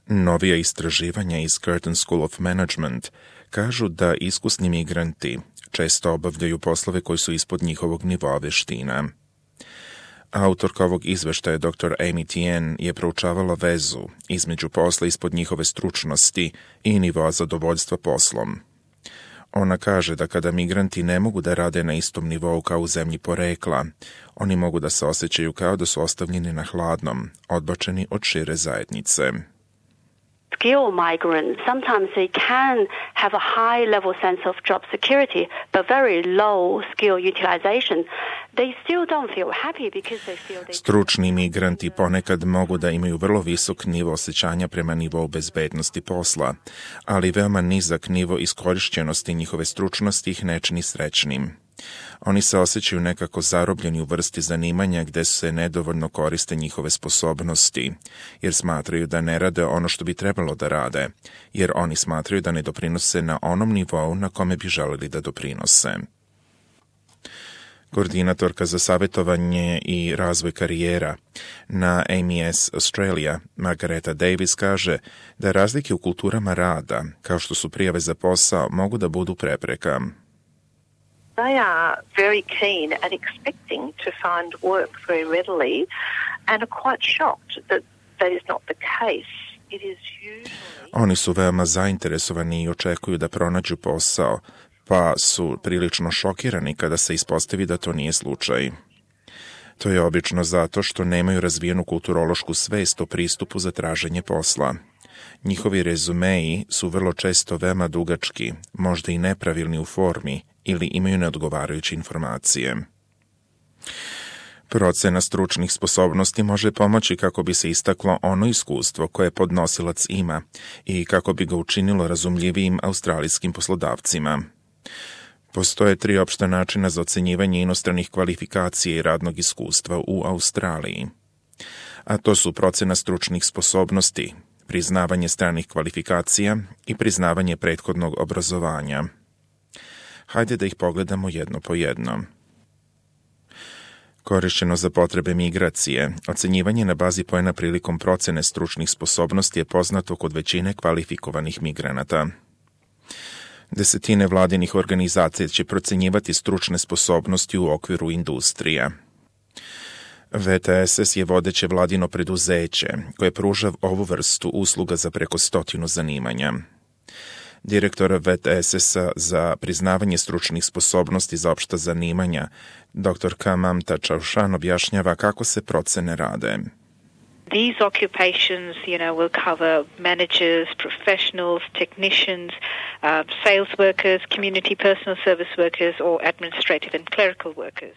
Novija istraživanja iz Curtin School of Management kažu da iskusni migranti često obavljaju poslove koji su ispod njihovog nivoa veština. Autorka ovog izveštaja, dr. Amy Tien, je proučavala vezu između posla ispod njihove stručnosti i nivoa zadovoljstva poslom. Ona kaže da kada migranti ne mogu da rade na istom nivou kao u zemlji porekla, oni mogu da se osjećaju kao da su ostavljeni na hladnom, odbačeni od šire zajednice. Skill migrants, sometimes they can have a high level sense of job security, but very low skill utilization. They still don't feel happy because they feel they... Stručni migranti ponekad mogu da imaju vrlo visok nivo osjećanja prema nivou bezbednosti posla, ali veoma nizak nivo iskorišćenosti njihove stručnosti ih ne čini srećnim. Oni se osjećaju nekako zarobljeni u vrsti zanimanja gde se nedovoljno koriste njihove sposobnosti, jer smatraju da ne rade ono što bi trebalo da rade, jer oni smatraju da ne doprinose na onom nivou na kome bi želeli da doprinose. Koordinatorka za savjetovanje i razvoj karijera na AMS Australia, Margareta Davis, kaže da razlike u kulturama rada, kao što su prijave za posao, mogu da budu prepreka. They are very keen and expecting to find work very readily and are quite shocked that that is not the case. It is usually... Oni su veoma zainteresovani i očekuju da pronađu posao, pa su prilično šokirani kada se ispostavi da to nije slučaj. To je obično zato što nemaju razvijenu kulturološku svest o pristupu za traženje posla. Njihovi rezumeji su vrlo često veoma dugački, možda i nepravilni u formi, ili imaju neodgovarajuće informacije. Procena stručnih sposobnosti može pomoći kako bi se istaklo ono iskustvo koje podnosilac ima i kako bi ga učinilo razumljivijim australijskim poslodavcima. Postoje 3 opšta načina za ocenjivanje inostranih kvalifikacija i radnog iskustva u Australiji. A to su procena stručnih sposobnosti, priznavanje stranih kvalifikacija i priznavanje prethodnog obrazovanja. Hajde da ih pogledamo jedno po jedno. Korišćeno za potrebe migracije, ocenjivanje na bazi poena prilikom procene stručnih sposobnosti je poznato kod većine kvalifikovanih migranata. Desetine vladinih organizacija će procenjivati stručne sposobnosti u okviru industrija. VTSS je vodeće vladino preduzeće koje pruža ovu vrstu usluga za preko 100 zanimanja. Direktor VTSS-a za priznavanje stručnih sposobnosti za opšta zanimanja, dr. Mamta Chaushan, objašnjava kako se procene rade. These occupations, will cover managers, professionals, technicians, sales workers, community personal service workers or administrative and clerical workers.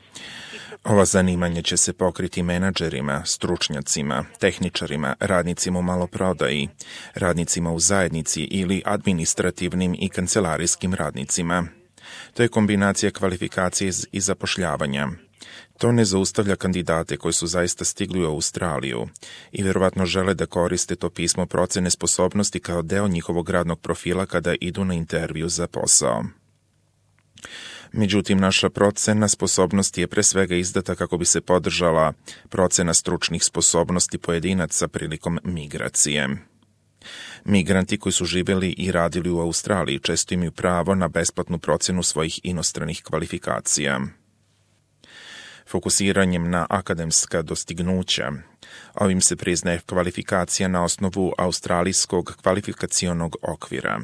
Ova zanimanja će se pokriti menadžerima, stručnjacima, tehničarima, radnicima u maloprodaji, radnicima u zajednici ili administrativnim i kancelarijskim radnicima. To je kombinacija kvalifikacije i zapošljavanja. To ne zaustavlja kandidate koji su zaista stigli u Australiju i vjerovatno žele da koriste to pismo procene sposobnosti kao deo njihovog radnog profila kada idu na intervju za posao. Međutim, naša procena sposobnosti je pre svega izdata kako bi se podržala procena stručnih sposobnosti pojedinaca prilikom migracije. Migranti koji su živjeli i radili u Australiji često imaju pravo na besplatnu procenu svojih inostranih kvalifikacija. Fokusiranjem na akademska dostignuća, ovim se priznaje kvalifikacija na osnovu australijskog kvalifikacionog okvira.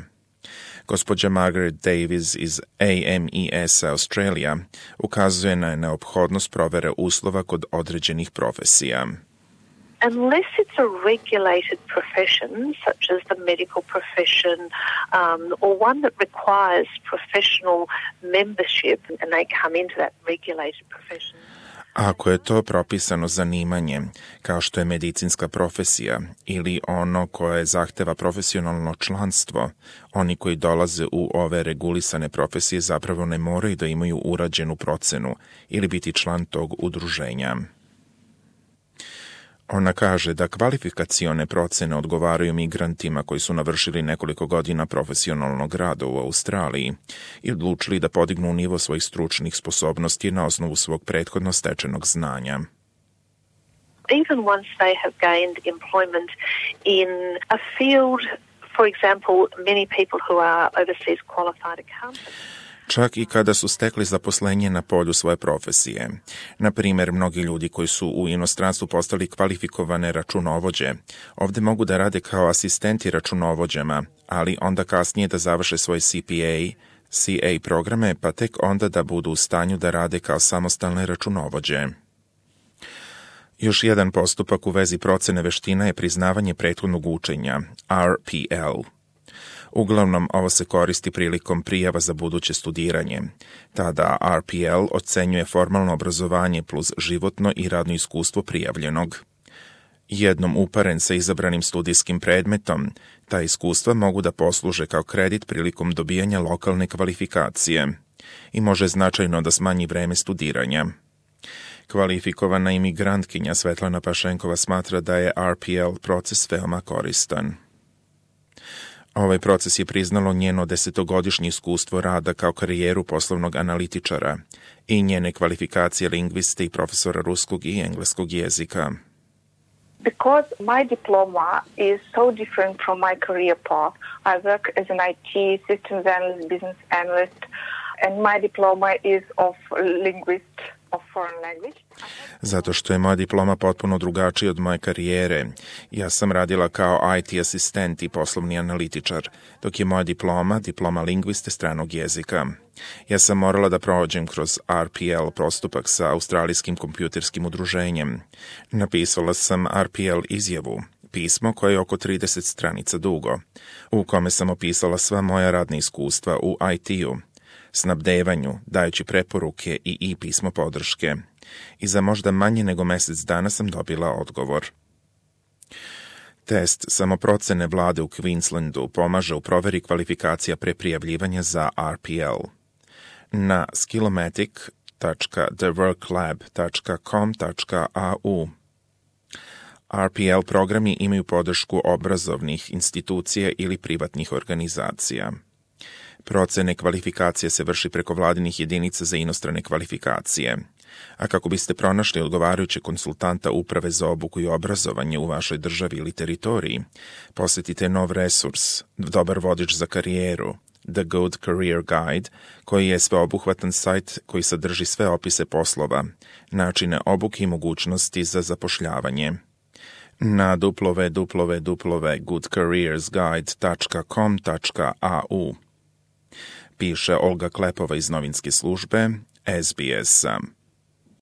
Gospođa Margaret Davis iz AMES Australia ukazuje na neophodnost provere uslova kod određenih profesija. Unless it's a regulated profession, such as the medical profession, or one that requires professional membership, and they come into that regulated profession. Ako je to propisano zanimanje, kao što je medicinska profesija ili ono koje zahteva profesionalno članstvo, oni koji dolaze u ove regulisane profesije zapravo ne moraju da imaju urađenu procenu ili biti član tog udruženja. Ona kaže da kvalifikacione procene odgovaraju migrantima koji su navršili nekoliko godina profesionalnog rada u Australiji i odlučili da podignu nivo svojih stručnih sposobnosti na osnovu svog prethodno stečenog znanja. even once they have gained employment in a field, for example, many people who are overseas qualified accountants. Čak i kada su stekli zaposlenje na polju svoje profesije. Na primjer, mnogi ljudi koji su u inostranstvu postali kvalifikovane računovođe, ovdje mogu da rade kao asistenti računovođama, ali onda kasnije da završe svoje CA programe, pa tek onda da budu u stanju da rade kao samostalne računovođe. Još jedan postupak u vezi procene veština je priznavanje prethodnog učenja, RPL. Uglavnom, ovo se koristi prilikom prijava za buduće studiranje. Tada RPL ocenjuje formalno obrazovanje plus životno i radno iskustvo prijavljenog. Jednom uparen sa izabranim studijskim predmetom, ta iskustva mogu da posluže kao kredit prilikom dobijanja lokalne kvalifikacije i može značajno da smanji vreme studiranja. Kvalifikovana imigrantkinja Svetlana Pašenkova smatra da je RPL proces veoma koristan. Ovaj proces je priznalo njeno 10-godišnje iskustvo rada kao karijeru poslovnog analitičara i njene kvalifikacije lingviste i profesora ruskog i engleskog jezika. Because my diploma is so different from my career path, I work as an IT systems analyst, business analyst, and my diploma is of linguist of foreign language. Zato što je moja diploma potpuno drugačija od moje karijere. Ja sam radila kao IT asistent i poslovni analitičar, dok je moja diploma lingviste stranog jezika. Ja sam morala da prođem kroz RPL postupak sa Australijskim kompjuterskim udruženjem. Napisala sam RPL izjavu, pismo koje je oko 30 stranica dugo, u kome sam opisala sva moja radna iskustva u IT-u, snabdevanju, dajući preporuke i pismo podrške. I za možda manje nego mjesec dana sam dobila odgovor. Test samoprocene vlade u Queenslandu pomaže u proveri kvalifikacija pre prijavljivanja za RPL. Na skillomatic.theworklab.com.au RPL programi imaju podršku obrazovnih institucija ili privatnih organizacija. Procene kvalifikacije se vrši preko vladinih jedinica za inostrane kvalifikacije. A kako biste pronašli odgovarajuće konsultanta Uprave za obuku i obrazovanje u vašoj državi ili teritoriji, posjetite nov resurs, dobar vodič za karijeru, The Good Career Guide, koji je sveobuhvatan sajt koji sadrži sve opise poslova, načine obuke i mogućnosti za zapošljavanje. Na www.goodcareersguide.com.au piše Olga Klepova iz novinske službe SBS.